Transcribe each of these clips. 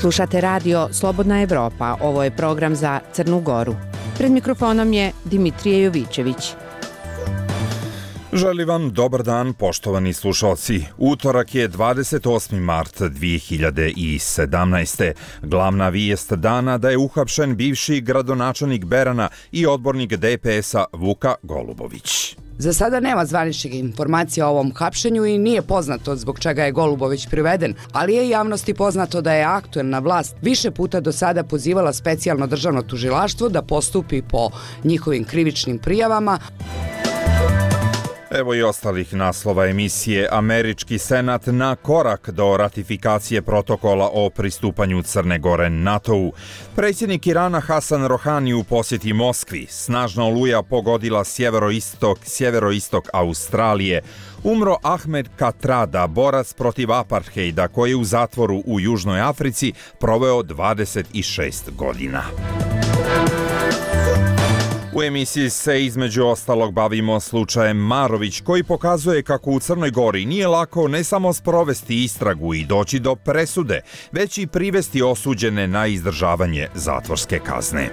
Slušate radio Slobodna Evropa, ovo je program za Crnu Goru. Pred mikrofonom je Dimitrije Jovićević. Želim vam dobar dan, poštovani slušalci. Utorak je 28. mart 2017. Glavna vijest dana da je uhapšen bivši gradonačelnik Berana i odbornik DPS-a Vuka Golubović. Za sada nema zvaničnih informacija o ovom hapšenju i nije poznato zbog čega je Golubović priveden, ali je javnosti poznato da je aktuelna vlast više puta do sada pozivala specijalno državno tužilaštvo da postupi po njihovim krivičnim prijavama. Evo i ostalih naslova emisije. Američki senat na korak do ratifikacije protokola o pristupanju Crne Gore NATO-u. Predsjednik Irana Hasan Rohani u posjeti Moskvi. Snažna oluja pogodila sjeveroistok Australije. Umro Ahmed Katrada, borac protiv aparthejda koji je u zatvoru u Južnoj Africi proveo 26 godina. U emisiji se između ostalog bavimo slučajem Marović koji pokazuje kako u Crnoj Gori nije lako ne samo sprovesti istragu i doći do presude, već i privesti osuđene na izdržavanje zatvorske kazne.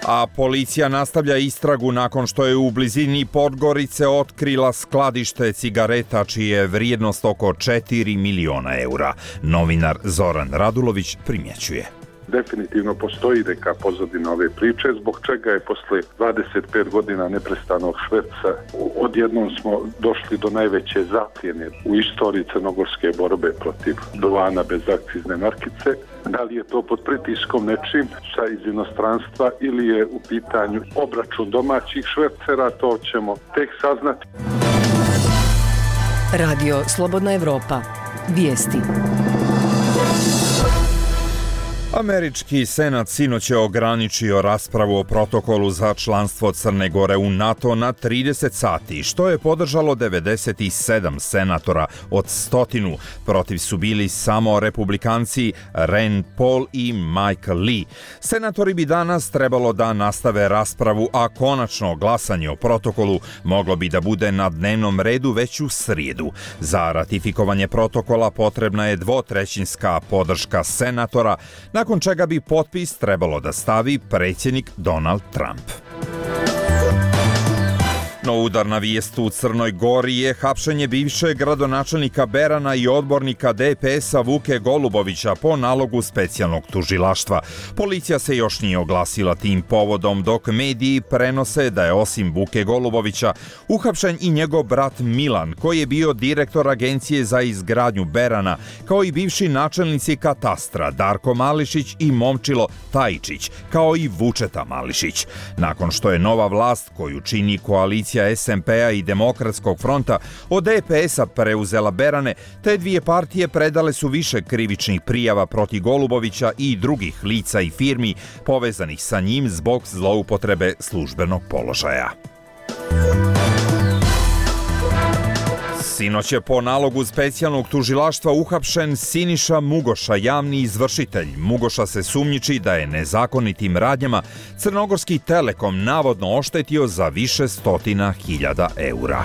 A policija nastavlja istragu nakon što je u blizini Podgorice otkrila skladište cigareta čija je vrijednost oko 4 miliona eura. Novinar Zoran Radulović primjećuje. Definitivno postoji neka pozadina ove priče, zbog čega je posle 25 godina neprestanog šverca odjednom smo došli do najveće zaplijene u istoriji crnogorske borbe protiv duvana bez akcizne markice. Da li je to pod pritiskom nečim iz inostranstva ili je u pitanju obračun domaćih švercera, to ćemo tek saznati. Radio Slobodna Evropa. Vijesti. Američki senat sinoć je ograničio raspravu o protokolu za članstvo Crne Gore u NATO na 30 sati, što je podržalo 97 senatora od 100. Protiv su bili samo republikanci Rand Paul i Mike Lee. Senatori bi danas trebalo da nastave raspravu, a konačno glasanje o protokolu moglo bi da bude na dnevnom redu već u srijedu. Za ratifikovanje protokola potrebna je dvotrećinska podrška senatora, nakon čega bi potpis trebalo da stavi predsjednik Donald Trump. No udarna vijest u Crnoj Gori je hapšenje bivšeg gradonačelnika Berana i odbornika DPS-a Vuke Golubovića po nalogu specijalnog tužilaštva. Policija se još nije oglasila tim povodom, dok mediji prenose da je osim Vuke Golubovića uhapšen i njegov brat Milan, koji je bio direktor Agencije za izgradnju Berana, kao i bivši načelnici katastra Darko Mališić i Momčilo Tajičić, kao i Vučeta Mališić. Nakon što je nova vlast koju čini koalicija SMP-a i Demokratskog fronta od DPS-a preuzela Berane, te dvije partije predale su više krivičnih prijava protiv Golubovića i drugih lica i firmi povezanih sa njim zbog zloupotrebe službenog položaja. Sinoć je po nalogu specijalnog tužilaštva uhapšen Siniša Mugoša, javni izvršitelj. Mugoša se sumnjiči da je nezakonitim radnjama Crnogorski Telekom navodno oštetio za više stotina hiljada eura.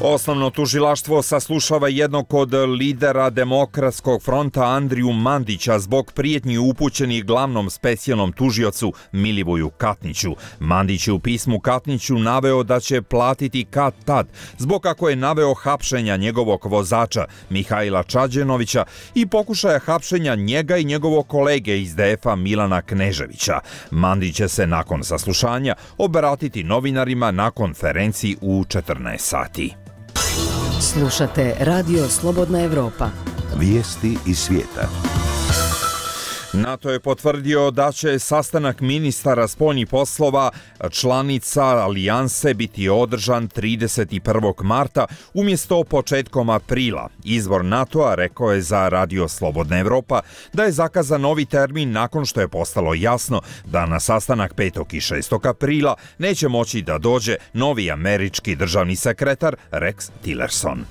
Osnovno tužilaštvo saslušava jednog od lidera Demokratskog fronta Andriju Mandića zbog prijetnji upućenih glavnom specijalnom tužiocu Milivoju Katniću. Mandić je u pismu Katniću naveo da će platiti kad-tad zbog kako je naveo hapšenja njegovog vozača Mihajla Čađenovića i pokušaja hapšenja njega i njegovog kolege iz DF-a Milana Kneževića. Mandić će se nakon saslušanja obratiti novinarima na konferenciji u 14 sati. Slušate Radio Slobodna Evropa. Vijesti iz svijeta. NATO je potvrdio da će sastanak ministara spoljnih poslova članica alijanse biti održan 31. marta umjesto početkom aprila. Izvor NATO-a rekao je za Radio Slobodna Evropa da je zakazan novi termin nakon što je postalo jasno da na sastanak 5. i 6. aprila neće moći da dođe novi američki državni sekretar Rex Tillerson.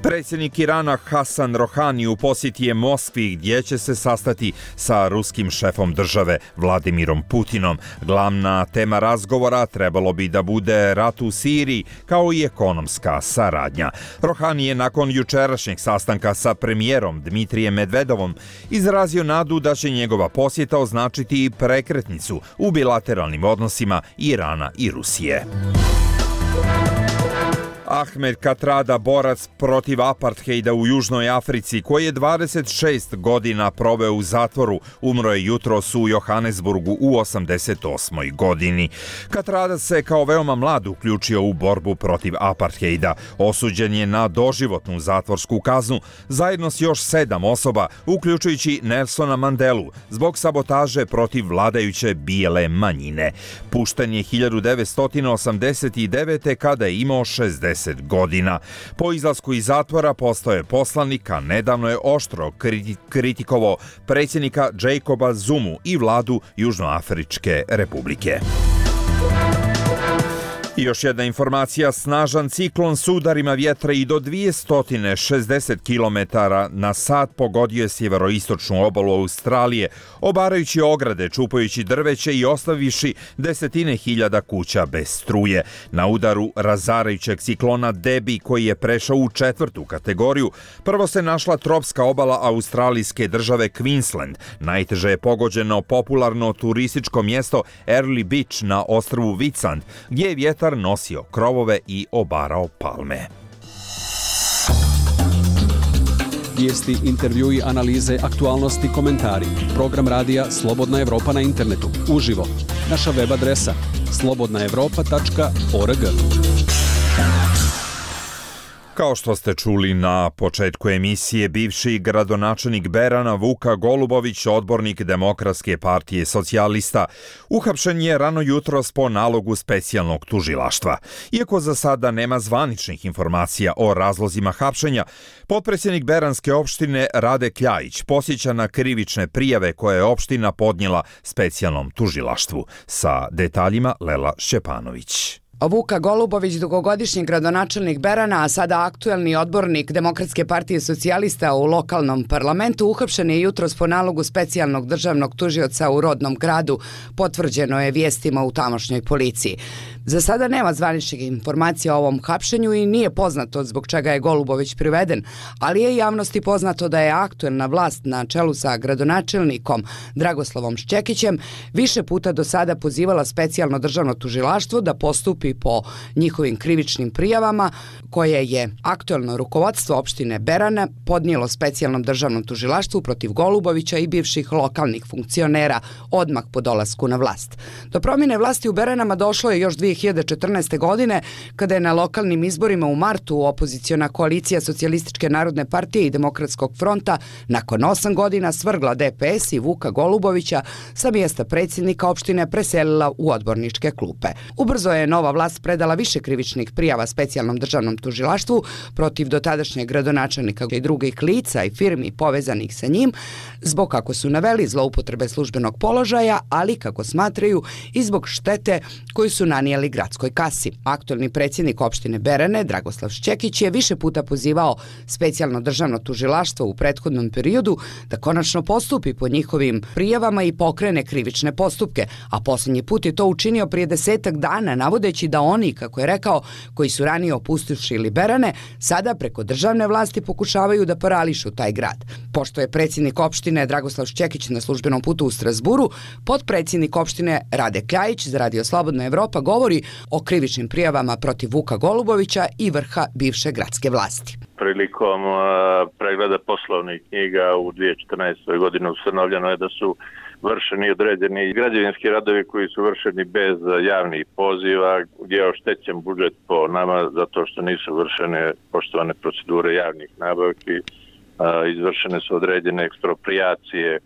Predsjednik Irana Hasan Rohani u posjeti je Moskvi gdje će se sastati sa ruskim šefom države Vladimirom Putinom. Glavna tema razgovora trebalo bi da bude rat u Siriji kao i ekonomska saradnja. Rohani je nakon jučerašnjeg sastanka sa premijerom Dmitrijem Medvedovom izrazio nadu da će njegova posjeta označiti prekretnicu u bilateralnim odnosima Irana i Rusije. Ahmed Katrada, borac protiv apartheida u Južnoj Africi, koji je 26 godina proveo u zatvoru, umro je jutros u Johannesburgu u 88. godini. Katrada se kao veoma mlad uključio u borbu protiv apartheida. Osuđen je na doživotnu zatvorsku kaznu zajedno s još 7 osoba, uključujući Nelsona Mandelu, zbog sabotaže protiv vladajuće bijele manjine. Pušten je 1989. kada je imao 60 godina. Po izlasku iz zatvora postao je poslanik, a nedavno je oštro kritikovao predsjednika Jacoba Zumu i vladu Južnoafričke republike. I još jedna informacija, snažan ciklon s udarima vjetra i do 260 km na sat pogodio je sjeveroistočnu obalu Australije, obarajući ograde, čupajući drveće i ostavivši desetine hiljada kuća bez struje. Na udaru razarajućeg ciklona Debi, koji je prešao u 4. kategoriju, prvo se našla tropska obala australijske države Queensland. Najteže je pogođeno popularno turističko mjesto Early Beach na ostrvu Whitsand, gdje je vjetar nosio krovove i obarao palme. Vijesti, intervjui, analize, aktualnosti, komentari. Program radija Slobodna Evropa na internetu. Uživo. Naša web adresa slobodnaevropa.org. Kao što ste čuli na početku emisije, bivši gradonačelnik Berana Vuka Golubović, odbornik Demokratske partije socijalista, uhapšen je rano jutros po nalogu specijalnog tužilaštva. Iako za sada nema zvaničnih informacija o razlozima hapšenja, potpredsjednik Beranske opštine Rade Kljajić posjeća na krivične prijave koje je opština podnijela specijalnom tužilaštvu. Sa detaljima Lela Šćepanović. Vuka Golubović, dugogodišnji gradonačelnik Berana, a sada aktuelni odbornik Demokratske partije socijalista u lokalnom parlamentu, uhapšen je jutros po nalogu specijalnog državnog tužioca u rodnom gradu, potvrđeno je vijestima u tamošnjoj policiji. Za sada nema zvaničnih informacija o ovom hapšenju i nije poznato zbog čega je Golubović priveden, ali je javnosti poznato da je aktuelna vlast na čelu sa gradonačelnikom Dragoslavom Šćekićem više puta do sada pozivala specijalno državno tužilaštvo da postupi po njihovim krivičnim prijavama koje je aktuelno rukovodstvo opštine Berana podnijelo specijalnom državnom tužilaštvu protiv Golubovića i bivših lokalnih funkcionera odmah po dolasku na vlast. Do promjene vlasti u Beranama došlo je još 2014. godine, kada je na lokalnim izborima u martu opoziciona koalicija Socijalističke narodne partije i Demokratskog fronta nakon 8 godina svrgla DPS i Vuka Golubovića sa mjesta predsjednika opštine preselila u odborničke klupe. Ubrzo je nova vlast predala više krivičnih prijava specijalnom državnom tužilaštvu protiv dotadašnjeg gradonačelnika i drugih lica i firmi povezanih sa njim, zbog, kako su naveli, zloupotrebe službenog položaja, ali, kako smatraju, i zbog štete koju su nanijeli gradskoj kasi. Aktuelni predsjednik opštine Berane, Dragoslav Šćekić, je više puta pozivao specijalno državno tužilaštvo u prethodnom periodu da konačno postupi po njihovim prijavama i pokrene krivične postupke, a posljednji put je to učinio prije 10 dana, navodeći da oni, kako je rekao, koji su ranije opustošili Berane, sada preko državne vlasti pokušavaju da parališu taj grad. Pošto je predsjednik opštine Dragoslav Šćekić na službenom putu u Strazburu, potpredsjednik opštine Rade Kljajić za Radio Slobodna Evropa govori o krivičnim prijavama protiv Vuka Golubovića i vrha bivše gradske vlasti. Prilikom pregleda poslovnih knjiga u 2014. godini ustanovljeno je da su vršeni određeni građevinski radovi koji su vršeni bez javnih poziva, gdje je oštećen budžet po nama zato što nisu vršene poštovane procedure javnih nabavki. Izvršene su određene eksproprijacije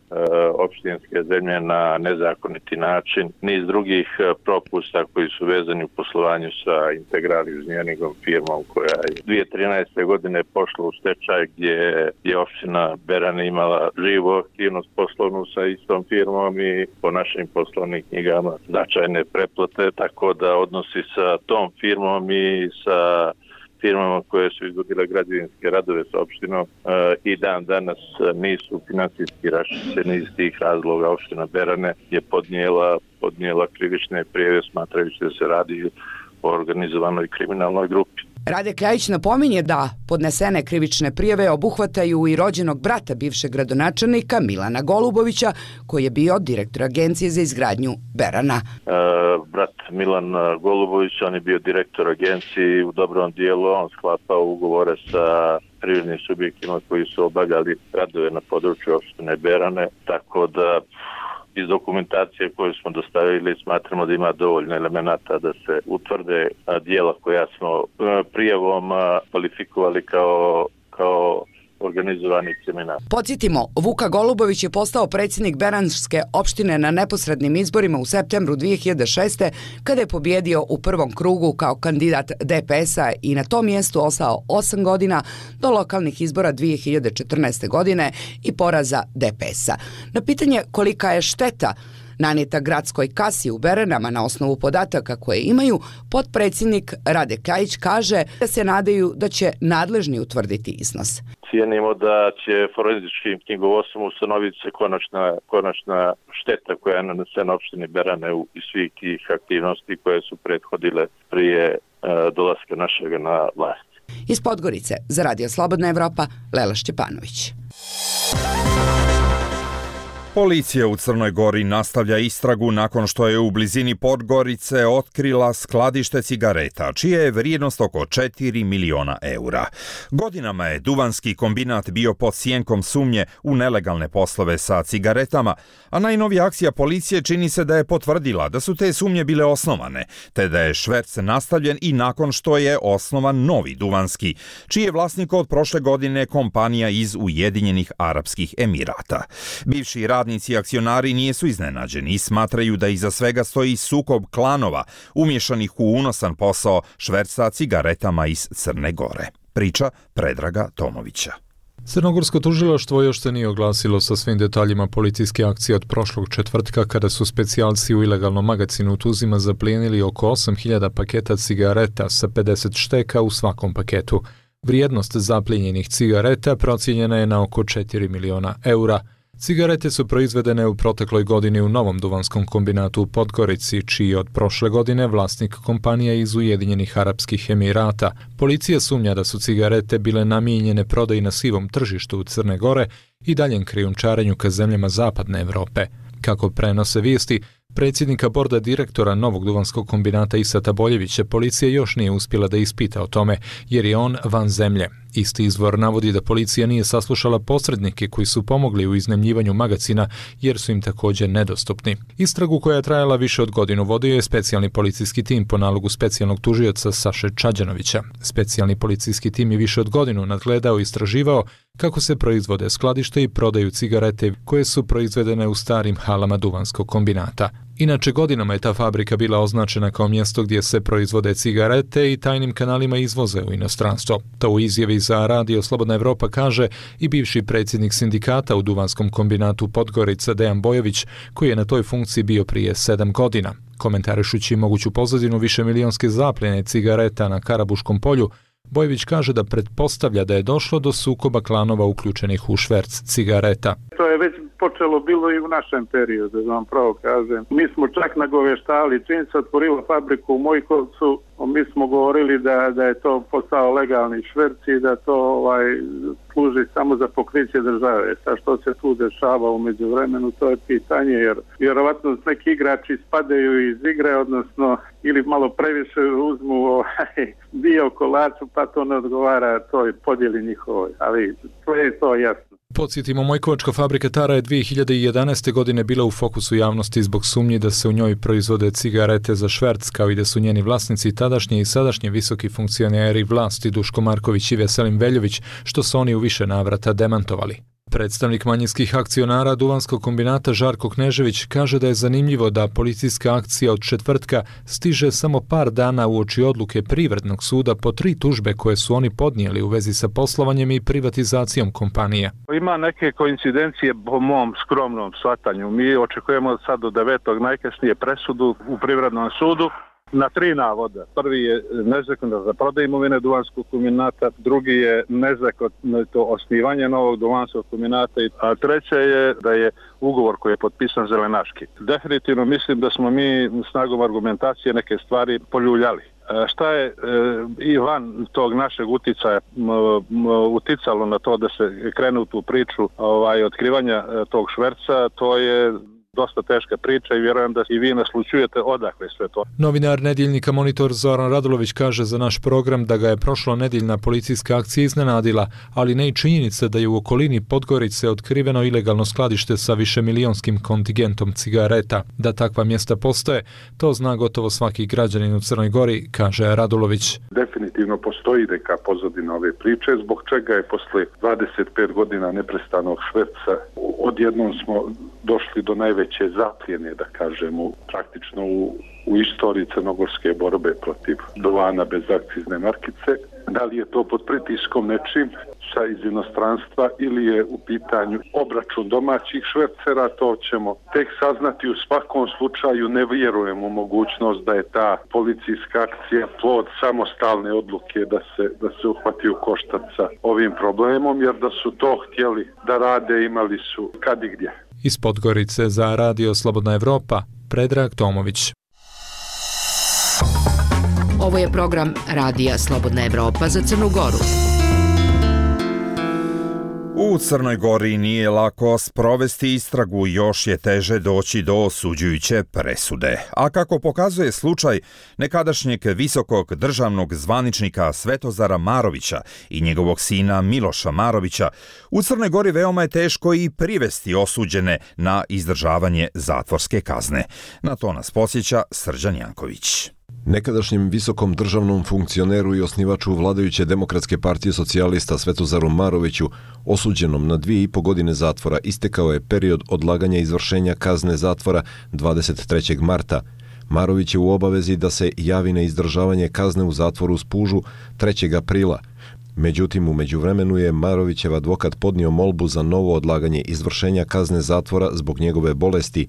opštinske zemlje na nezakoniti način, niz drugih propusta koji su vezani u poslovanju sa Integral inženjeringom firmom koja je 2013. godine pošla u stečaj, gdje je opština Berana imala živu aktivnost poslovnu sa istom firmom i po našim poslovnim knjigama značajne preplate, tako da odnosi sa tom firmom i sa firmama koje su izvodile građevinske radove sa opštinom i dan danas nisu finansijski raščišćeni. Iz tih razloga opština Berane je podnijela krivične prijave smatrajući da se radi o organizovanoj kriminalnoj grupi. Rade Kljajić napominje da podnesene krivične prijave obuhvataju i rođenog brata bivšeg gradonačelnika Milana Golubovića, koji je bio direktor Agencije za izgradnju Berana. Brat Milan Golubović, on je bio direktor agencije i u dobrom dijelu on sklapao ugovore sa privrednim subjektima koji su obavljali radove na području opštine Berane, tako da iz dokumentacije koju smo dostavili smatramo da ima dovoljno elemenata da se utvrde dijela koja smo prijavom kvalifikovali kao organizovani kriminal. Podsjetimo, Vuka Golubović je postao predsjednik Beranske opštine na neposrednim izborima u septembru 2006. kada je pobjedio u prvom krugu kao kandidat DPS-a i na tom mjestu ostao 8 godina do lokalnih izbora 2014. godine i poraza DPS-a. Na pitanje kolika je šteta nanijeta gradskoj kasi u Beranama na osnovu podataka koje imaju, potpredsjednik Rade Kljajić kaže da se nadaju da će nadležni utvrditi iznos. Cijenimo da će forenzičkim knjigovodstvom ustanoviti se konačna šteta koja je nanesena opštini Berane iz svih tih aktivnosti koje su prethodile prije dolaska našega na vlast. Iz Podgorice za Radio Slobodna Evropa, Lela Šćepanović. Policija u Crnoj Gori nastavlja istragu nakon što je u blizini Podgorice otkrila skladište cigareta, čija je vrijednost oko 4 miliona eura. Godinama je duvanski kombinat bio pod sjenkom sumnje u nelegalne poslove sa cigaretama, a najnovija akcija policije čini se da je potvrdila da su te sumnje bile osnovane, te da je šverc nastavljen i nakon što je osnovan novi duvanski, čiji je vlasnik od prošle godine kompanija iz Ujedinjenih Arapskih Emirata. Bivši radnici i akcionari nisu iznenađeni i smatraju da iza svega stoji sukob klanova umješanih u unosan posao šverca cigaretama iz Crne Gore. Priča Predraga Tomovića. Crnogorsko tužilaštvo još se nije oglasilo sa svim detaljima policijske akcije od prošlog četvrtka kada su specijalci u ilegalnom magazinu u Tuzima zaplijenili oko 8.000 paketa cigareta sa 50 šteka u svakom paketu. Vrijednost zaplijenjenih cigareta procijenjena je na oko 4 miliona eura. Cigarete su proizvedene u protekloj godini u novom duvanskom kombinatu u Podgorici, čiji je od prošle godine vlasnik kompanija iz Ujedinjenih Arapskih Emirata. Policija sumnja da su cigarete bile namijenjene prodaji na sivom tržištu u Crne Gore i daljem krijumčarenju ka zemljama zapadne Evrope. Kako prenose vijesti, predsjednika borda direktora novog duvanskog kombinata Isata Boljevića policija još nije uspjela da ispita o tome, jer je on van zemlje. Isti izvor navodi da policija nije saslušala posrednike koji su pomogli u iznajmljivanju magazina jer su im također nedostupni. Istragu koja je trajala više od godinu vodio je specijalni policijski tim po nalogu specijalnog tužioca Saše Čađanovića. Specijalni policijski tim je više od godinu nadgledao i istraživao kako se proizvode, skladište i prodaju cigarete koje su proizvedene u starim halama duvanskog kombinata. Inače, godinama je ta fabrika bila označena kao mjesto gdje se proizvode cigarete i tajnim kanalima izvoze u inostranstvo. To u izjavi za Radio Slobodna Evropa kaže i bivši predsjednik sindikata u duvanskom kombinatu Podgorica Dejan Bojović, koji je na toj funkciji bio prije 7 godina. Komentarišući moguću pozadinu višemilijonske zapljene cigareta na Karabuškom polju, Bojević kaže da pretpostavlja da je došlo do sukoba klanova uključenih u šverc cigareta. To je već počelo bilo i u našem periodu, da vam pravo kažem. Mi smo čak nagoveštali, čim se otvorila fabriku u Mojkovcu, mi smo govorili da je to postao legalni šverc i da to služi samo za pokriće države. Sa što se tu dešava u međuvremenu, to je pitanje, jer vjerovatno neki igrači spadaju iz igre, odnosno ili malo previše uzmu dio kolaču, pa to ne odgovara toj podjeli njihovoj, ali to je to jasno. Podsjetimo, Mojkovačka fabrika Tara je 2011. godine bila u fokusu javnosti zbog sumnji da se u njoj proizvode cigarete za šverc, kao i da su njeni vlasnici tadašnji i sadašnji visoki funkcioneri vlasti Duško Marković i Veselin Veljović, što su oni u više navrata demantovali. Predstavnik manjinskih akcionara duvanskog kombinata Žarko Knežević kaže da je zanimljivo da policijska akcija od četvrtka stiže samo par dana uoči odluke Privrednog suda po 3 tužbe koje su oni podnijeli u vezi sa poslovanjem i privatizacijom kompanije. Ima neke koincidencije po mom skromnom shvatanju. Mi očekujemo sad do 9. najkasnije presudu u Privrednom sudu. na 3 navoda. Prvi je nezakonito za prodaju imovine duvanskog kombinata, drugi je nezakonito osnivanje novog duvanskog kombinata, a treće je da je ugovor koji je potpisan zelenaški. Definitivno mislim da smo mi snagom argumentacije neke stvari poljuljali. Šta je i van tog našeg uticaja uticalo na to da se krene u tu priču otkrivanja tog šverca, to je dosta teška priča i vjerujem da i vi naslućujete odakle sve to. Novinar nedjeljnika Monitor Zoran Radulović kaže za naš program da ga je prošlonedjeljna policijska akcija iznenadila, ali ne i činjenica da je u okolini Podgorice otkriveno ilegalno skladište sa višemilijonskim kontingentom cigareta. Da takva mjesta postoje, to zna gotovo svaki građanin u Crnoj Gori, kaže Radulović. Definitivno postoji neka pozadina ove priče, zbog čega je posle 25 godina neprestanog šverca odjednom smo došli do najveće zapljene, da kažemo, praktično u istoriji crnogorske borbe protiv duvana bez akcizne markice. Da li je to pod pritiskom nečim iz inostranstva ili je u pitanju obračun domaćih švercera, to ćemo tek saznati. U svakom slučaju ne vjerujem u mogućnost da je ta policijska akcija plod samostalne odluke da se uhvati u koštac sa ovim problemom, jer da su to htjeli da rade imali su kad i gdje. Iz Podgorice za Radio Slobodna Evropa, Predrag Tomović. Ovo je program Radija Slobodna Evropa za Crnu Goru. U Crnoj Gori nije lako sprovesti istragu, još je teže doći do osuđujuće presude. A kako pokazuje slučaj nekadašnjeg visokog državnog zvaničnika Svetozara Marovića i njegovog sina Miloša Marovića, u Crnoj Gori veoma je teško i privesti osuđene na izdržavanje zatvorske kazne. Na to nas podsjeća Srđan Janković. Nekadašnjem visokom državnom funkcioneru i osnivaču vladajuće Demokratske partije socijalista Svetozaru Maroviću, osuđenom na 2,5 godine zatvora, istekao je period odlaganja izvršenja kazne zatvora 23. marta. Marović je u obavezi da se javi na izdržavanje kazne u zatvoru u Spužu 3. aprila. Međutim, u međuvremenu je Marovićev advokat podnio molbu za novo odlaganje izvršenja kazne zatvora zbog njegove bolesti.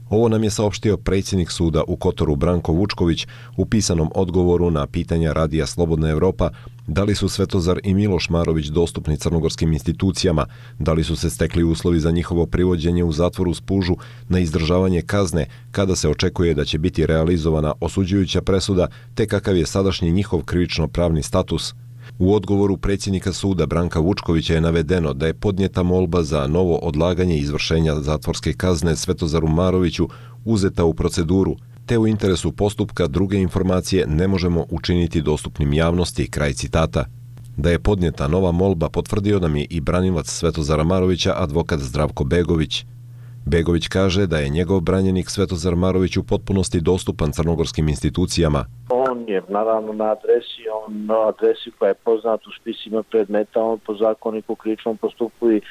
Ovo nam je saopštio predsjednik suda u Kotoru Branko Vučković u pisanom odgovoru na pitanja Radija Slobodna Evropa da li su Svetozar i Miloš Marović dostupni crnogorskim institucijama, da li su se stekli uslovi za njihovo privođenje u zatvoru u Spužu na izdržavanje kazne, kada se očekuje da će biti realizovana osuđujuća presuda, te kakav je sadašnji njihov krivično-pravni status. U odgovoru predsjednika suda Branka Vučkovića je navedeno da je podnijeta molba za novo odlaganje izvršenja zatvorske kazne Svetozaru Maroviću uzeta u proceduru, te u interesu postupka druge informacije ne možemo učiniti dostupnim javnosti, kraj citata. Da je podnijeta nova molba potvrdio nam je i branilac Svetozara Marovića, advokat Zdravko Begović. Begović kaže da je njegov branjenik Svetozar Marović u potpunosti dostupan crnogorskim institucijama. On je naravno na adresi koja je poznat u spisima predmeta, on po zakoniku krivičnom postupku i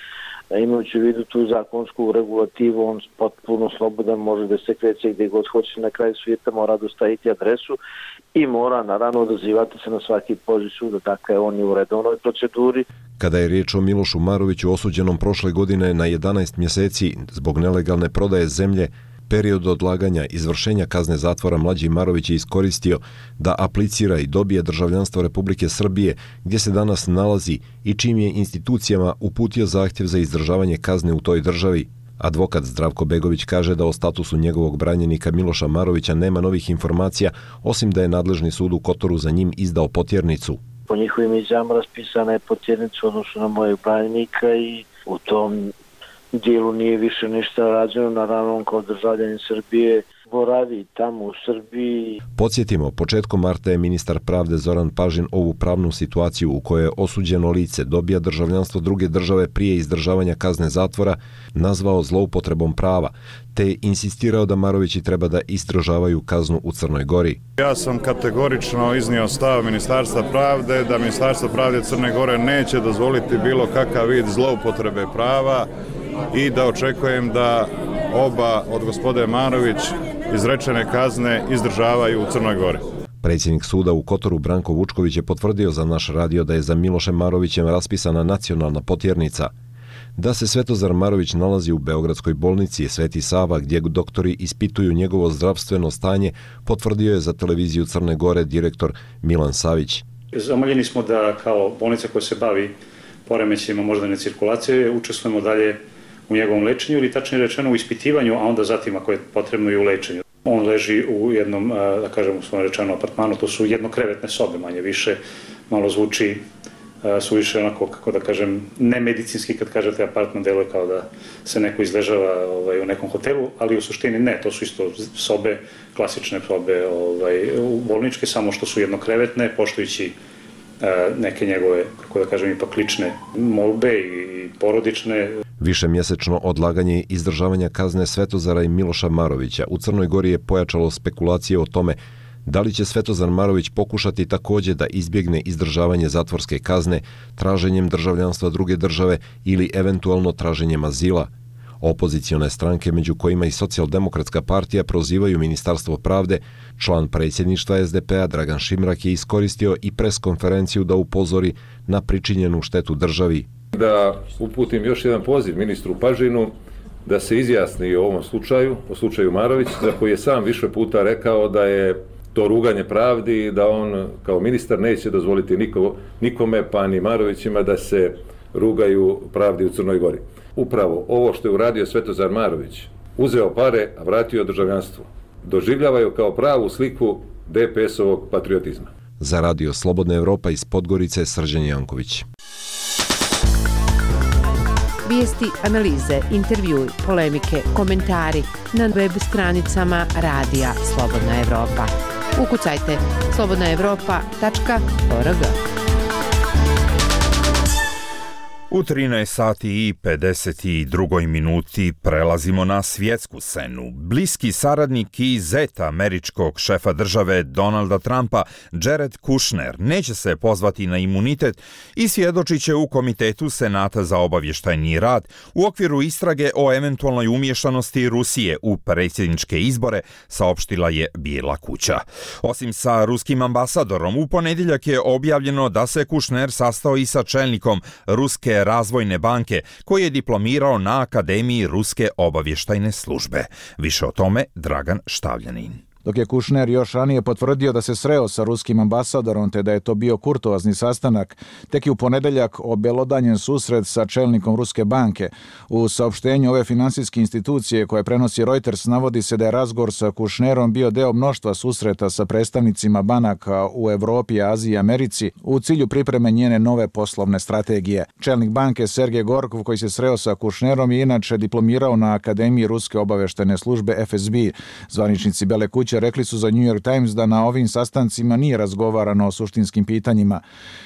imajući u vidu tu zakonsku regulativu, on potpuno slobodan može da se kreće gdje god hoće, na kraju svijeta mora dostaviti adresu i mora naravno odazivati se na svaki poziv suda, dakle on je u redovnoj proceduri. Kada je riječ o Milošu Maroviću osuđenom prošle godine na 11 mjeseci zbog nelegalne prodaje zemlje, period odlaganja izvršenja kazne zatvora mlađi Marović je iskoristio da aplicira i dobije državljanstvo Republike Srbije, gdje se danas nalazi i čim je institucijama uputio zahtjev za izdržavanje kazne u toj državi. Advokat Zdravko Begović kaže da o statusu njegovog branjenika Miloša Marovića nema novih informacija, osim da je nadležni sud u Kotoru za njim izdao potjernicu. Po njihovim izjavama raspisana je potjernica u odnosu na mojeg branjenika i u tom dijelu nije više ništa rađeno, naravno on kao državljanin Srbije boravi tamo u Srbiji. Podsjetimo, početkom marta je ministar pravde Zoran Pažin ovu pravnu situaciju u kojoj osuđeno lice dobija državljanstvo druge države prije izdržavanja kazne zatvora nazvao zloupotrebom prava, te insistirao da Marovići treba da izdržavaju kaznu u Crnoj Gori. Ja sam kategorično iznio stav Ministarstva pravde da Ministarstvo pravde Crne Gore neće dozvoliti bilo kakav vid zloupotrebe prava i da očekujem da oba od gospode Marović izrečene kazne izdržavaju u Crnoj Gori. Predsjednik suda u Kotoru Branko Vučković je potvrdio za naš radio da je za Milošem Marovićem raspisana nacionalna potjernica. Da se Svetozar Marović nalazi u Beogradskoj bolnici Sveti Sava, gdje doktori ispituju njegovo zdravstveno stanje, potvrdio je za televiziju Crne Gore direktor Milan Savić. Zamoljeni smo da kao bolnica koja se bavi poremećajima moždane cirkulacije učestvujemo dalje u njegovom lečenju ili tačnije rečeno u ispitivanju, a onda zatim ako je potrebno i u lečenju. On leži u jednom, da kažem, u svom rečeno apartmanu, to su jednokrevetne sobe, manje više, malo zvuči suviše onako, kako da kažem, nemedicinski kad kažete apartman, deluje kao da se neko izležava u nekom hotelu, ali u suštini ne, to su isto sobe, klasične sobe u bolničke, samo što su jednokrevetne, poštujući neke njegove, kako da kažem, ipak lične molbe i porodične. Višemjesečno odlaganje izdržavanja kazne Svetozara i Miloša Marovića u Crnoj Gori je pojačalo spekulacije o tome da li će Svetozar Marović pokušati također da izbjegne izdržavanje zatvorske kazne traženjem državljanstva druge države ili eventualno traženjem azila. Opozicione stranke, među kojima i Socijaldemokratska partija, prozivaju Ministarstvo pravde. Član predsjedništva SDP-a Dragan Šimrak je iskoristio i preskonferenciju da upozori na pričinjenu štetu državi. Da uputim još jedan poziv ministru Pažinu da se izjasni o ovom slučaju, o slučaju Marović, za koji je sam više puta rekao da je to ruganje pravdi i da on kao ministar neće dozvoliti nikome, pa ni Marovićima, da se rugaju pravdi u Crnoj Gori. Upravo ovo što je uradio Svetozar Marović, uzeo pare, a vratio državljanstvo, doživljavaju kao pravu sliku DPS-ovog patriotizma. Za Radio Slobodna Evropa iz Podgorice, Srđan Janković. Vijesti, analize, intervjui, polemike, komentari na web stranicama Radija Slobodna Evropa. Ukucajte slobodnaevropa.org. U 13 sati i 52 minuti prelazimo na svjetsku scenu. Bliski saradnik i zet američkog šefa države Donalda Trumpa, Jared Kushner, neće se pozvati na imunitet i svjedočit će u Komitetu Senata za obavještajni rad u okviru istrage o eventualnoj umješanosti Rusije u predsjedničke izbore, saopštila je Bijela kuća. Osim sa ruskim ambasadorom, u ponedjeljak je objavljeno da se Kushner sastao i sa čelnikom Ruske razvojne banke, koji je diplomirao na Akademiji Ruske obavještajne službe. Više o tome Dragan Štavljanin. Dok je Kushner još ranije potvrdio da se sreo sa ruskim ambasadorom te da je to bio kurtoazni sastanak, tek je u ponedeljak obelodanjen susret sa čelnikom Ruske banke. U saopštenju ove finansijske institucije koje prenosi Reuters navodi se da je razgovor sa Kushnerom bio deo mnoštva susreta sa predstavnicima banaka u Evropi, Aziji i Americi u cilju pripreme njene nove poslovne strategije. Čelnik banke Sergej Gorkov, koji se sreo sa Kushnerom, je inače diplomirao na Akademiji Ruske obavještajne službe FSB. Zvaničnici Bele kuće rekli su za New York Times da na ovim sastancima nije razgovarano o suštinskim pitanjima.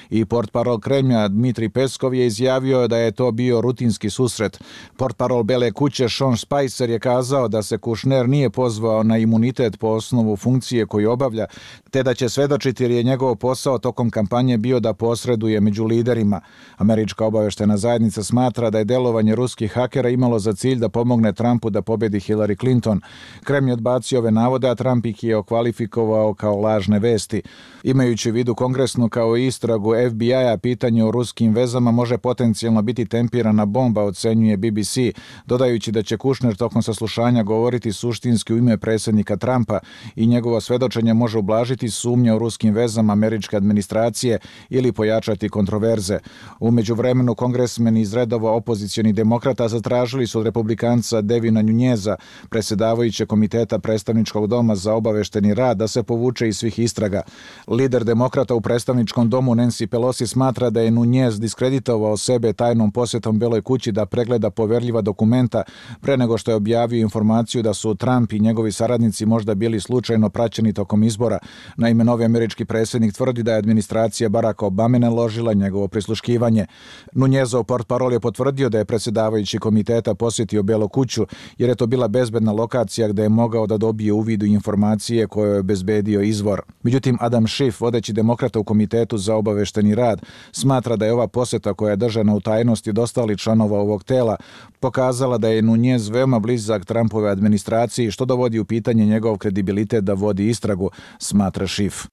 I portparol Kremlja Dmitri Peskov je izjavio da je to bio rutinski susret. Portparol Bele kuće Sean Spicer je kazao da se Kushner nije pozvao na imunitet po osnovu funkcije koju obavlja, te da će svedočiti jer je njegov posao tokom kampanje bio da posreduje među liderima. Američka obavještajna zajednica smatra da je delovanje ruskih hakera imalo za cilj da pomogne Trumpu da pobedi Hillary Clinton. Kremlj je odbacio ove navode, a Trump ih je okvalifikovao kao lažne vesti. Imajući u vidu kongresnu kao i istragu FBI-a, pitanje o ruskim vezama može potencijalno biti tempirana bomba, ocenjuje BBC, dodajući da će Kushner tokom saslušanja govoriti suštinski u ime predsjednika Trumpa i njegovo svedočenje može ublažiti sumnje o ruskim vezama američke administracije ili pojačati kontroverze. U međuvremenu kongresmeni iz redova opozicionih demokrata zatražili su od republikanca Devina Nuneza, predsjedavajućeg komiteta predstavničkog doma za obavešteni rad, da se povuče iz svih istraga. Lider demokrata u predstavničkom domu Nancy Pelosi smatra da je Nunez diskreditovao sebe tajnom posjetom Beloj kući da pregleda poverljiva dokumenta pre nego što je objavio informaciju da su Trump i njegovi saradnici možda bili slučajno praćeni tokom izbora. Naime, novi američki predsjednik tvrdi da je administracija Baracka Obame naložila njegovo prisluškivanje. Nunezov portparol je potvrdio da je predsjedavajući komiteta posjetio Belu kuću jer je to bila bezbedna lokacija gde je mogao da dobije uvid u informacije koje je obezbedio izvor. Međutim, Adam Schiff, vodeći demokrata u komitetu za obavešteni rad, smatra da je ova posjeta koja je držana u tajnosti od ostalih članova ovog tela pokazala da je Nunez veoma blizak Trumpove administraciji, što dovodi u pitanje njegov kredibilitet da vodi istragu, smatra Schiff.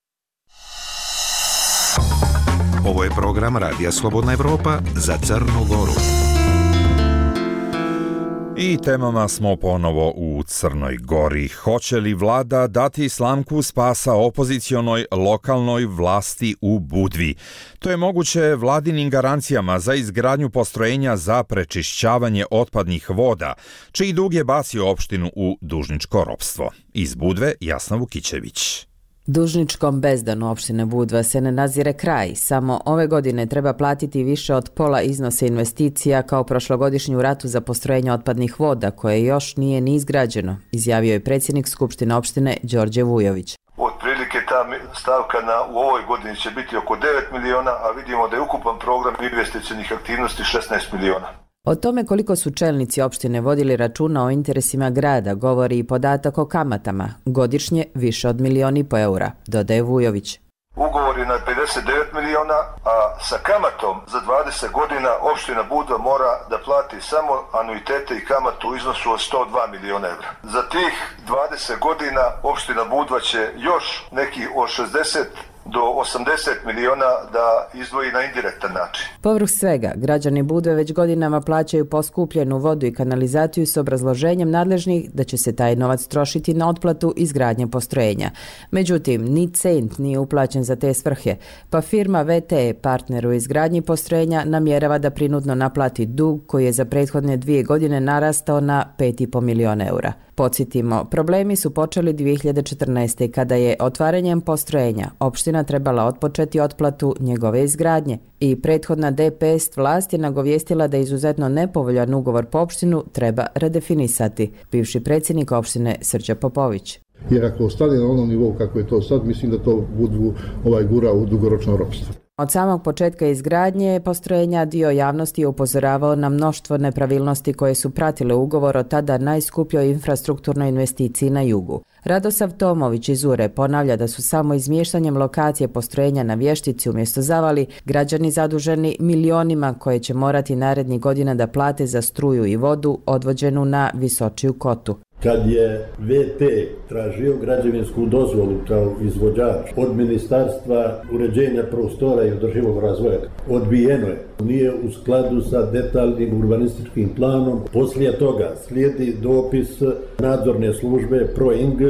Ovo je program Radija Slobodna Evropa za Crnu Goru. I temama smo ponovo u Crnoj Gori. Hoće li vlada dati slamku spasa opozicionoj lokalnoj vlasti u Budvi? To je moguće vladinim garancijama za izgradnju postrojenja za prečišćavanje otpadnih voda, čiji dug je bacio opštinu u dužničko ropstvo. Iz Budve Jasna Vukićević. Dužničkom bezdanu opštine Budva se ne nazire kraj. Samo ove godine treba platiti više od pola iznosa investicija kao prošlogodišnju ratu za postrojenje otpadnih voda, koje još nije ni izgrađeno, izjavio je predsjednik Skupštine opštine Đorđe Vujović. Otprilike ta stavka u ovoj godini će biti oko 9 miliona, a vidimo da je ukupan program investicionih aktivnosti 16 miliona. O tome koliko su čelnici opštine vodili računa o interesima grada govori i podatak o kamatama, godišnje više od 1,5 miliona eura, dodaje Vujović. Ugovor je na 59 miliona, a sa kamatom za 20 godina opština Budva mora da plati samo anuitete i kamatu u iznosu od 102 miliona eura. Za tih 20 godina opština Budva će još neki od 60 do 80 miliona da izdvoji na indirektan način. Povrh svega, građani Budve već godinama plaćaju poskupljenu vodu i kanalizaciju s obrazloženjem nadležnih da će se taj novac trošiti na otplatu izgradnje postrojenja. Međutim, ni cent nije uplaćen za te svrhe, pa firma VTE, partner u izgradnji postrojenja, namjerava da prinudno naplati dug koji je za prethodne 2 godine narastao na 5,5 miliona eura. Podsjetimo, problemi su počeli 2014. kada je otvaranjem postrojenja opština trebala otpočeti otplatu njegove izgradnje i prethodna DPS vlast je nagovijestila da izuzetno nepovoljan ugovor po opštinu treba redefinisati, bivši predsjednik opštine Srđan Popović. Jer ako ostane na onom nivou kako je to sad, mislim da to Budvu gura u dugoročno ropstvo. Od samog početka izgradnje postrojenja dio javnosti je upozoravao na mnoštvo nepravilnosti koje su pratile ugovor o tada najskupljoj infrastrukturnoj investiciji na jugu. Radosav Tomović iz Ure ponavlja da su samo izmještanjem lokacije postrojenja na Vještici umjesto Zavali građani zaduženi milionima koje će morati narednih godina da plate za struju i vodu odvođenu na Visočiju kotu. Kad je VT tražio građevinsku dozvolu kao izvođač od Ministarstva uređenja prostora i održivog razvoja, odbijeno je. Nije u skladu sa detaljnim urbanističkim planom. Poslije toga slijedi dopis nadzorne službe PROING,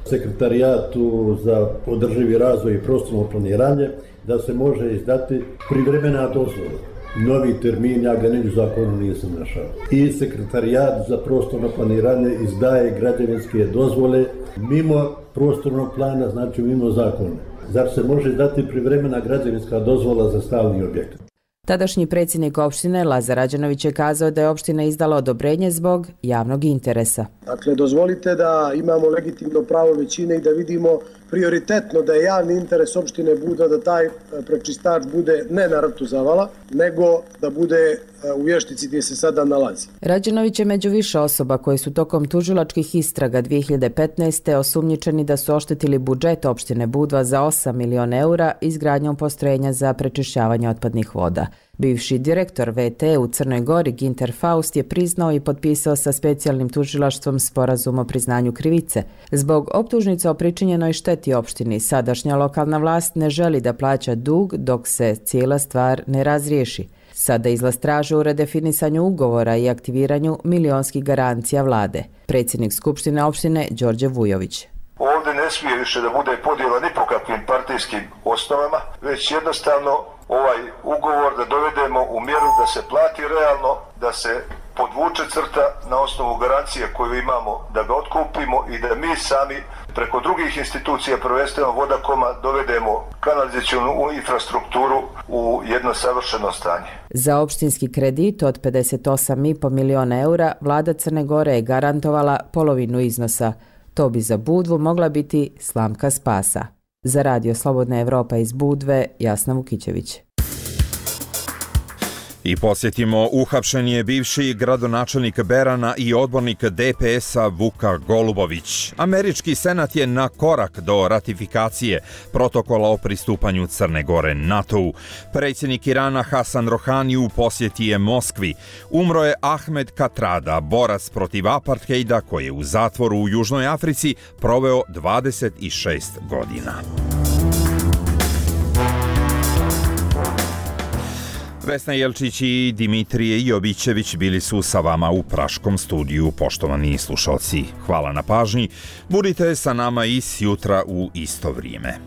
Sekretarijatu za održivi razvoj i prostorno planiranje, da se može izdati privremena dozvola. Novi termin, ja ga ni u zakonu nisam našao. I Sekretarijat za prostorno planiranje izdaje građevinske dozvole mimo prostornog plana, znači mimo zakona. Zar se može dati privremena građevinska dozvola za stalni objekat? Tadašnji predsjednik opštine Lazar Rađanović je kazao da je opština izdala odobrenje zbog javnog interesa. Dakle, dozvolite da imamo legitimno pravo većine i da vidimo prioritetno da je javni interes opštine Budva da taj prečistač bude ne na rtu Zavala, nego da bude u Vještici gdje se sada nalazi. Rađanović je među više osoba koji su tokom tužilačkih istraga 2015. osumnjičeni da su oštetili budžet opštine Budva za 8 miliona eura izgradnjom postrojenja za prečišćavanje otpadnih voda. Bivši direktor VT u Crnoj Gori Ginter Faust je priznao i potpisao sa specijalnim tužilaštvom sporazum o priznanju krivice. Zbog optužnica o pričinjenoj šteti opštini, sadašnja lokalna vlast ne želi da plaća dug dok se cijela stvar ne razriješi. Sada izlaz traže u redefinisanju ugovora i aktiviranju milionskih garancija vlade. Predsjednik Skupštine opštine Đorđe Vujović. Ovdje ne smije više da bude podjela ni po kakvim partijskim osnovama, već jednostavno ovaj ugovor da dovedemo u mjeru da se plati realno, da se podvuče crta na osnovu garancije koju imamo, da ga otkupimo i da mi sami preko drugih institucija, prvenstveno Vodakoma, dovedemo kanalizacionu infrastrukturu u jedno savršeno stanje. Za opštinski kredit od 58,5 miliona eura vlada Crne Gore je garantovala polovinu iznosa. To bi za Budvu mogla biti slamka spasa. Za Radio Slobodna Evropa iz Budve, Jasna Vukićević. I posjetimo, uhapšen je bivši gradonačelnik Berana i odbornik DPS-a Vuka Golubović. Američki senat je na korak do ratifikacije protokola o pristupanju Crne Gore NATO-u. Predsjednik Irana Hasan Rohani u posjeti je Moskvi. Umro je Ahmed Katrada, borac protiv apartheida koji je u zatvoru u Južnoj Africi proveo 26 godina. Vesna Jelčić i Dimitrije Jovićević bili su sa vama u Praškom studiju. Poštovani slušalci, hvala na pažnji. Budite sa nama i sjutra u isto vrijeme.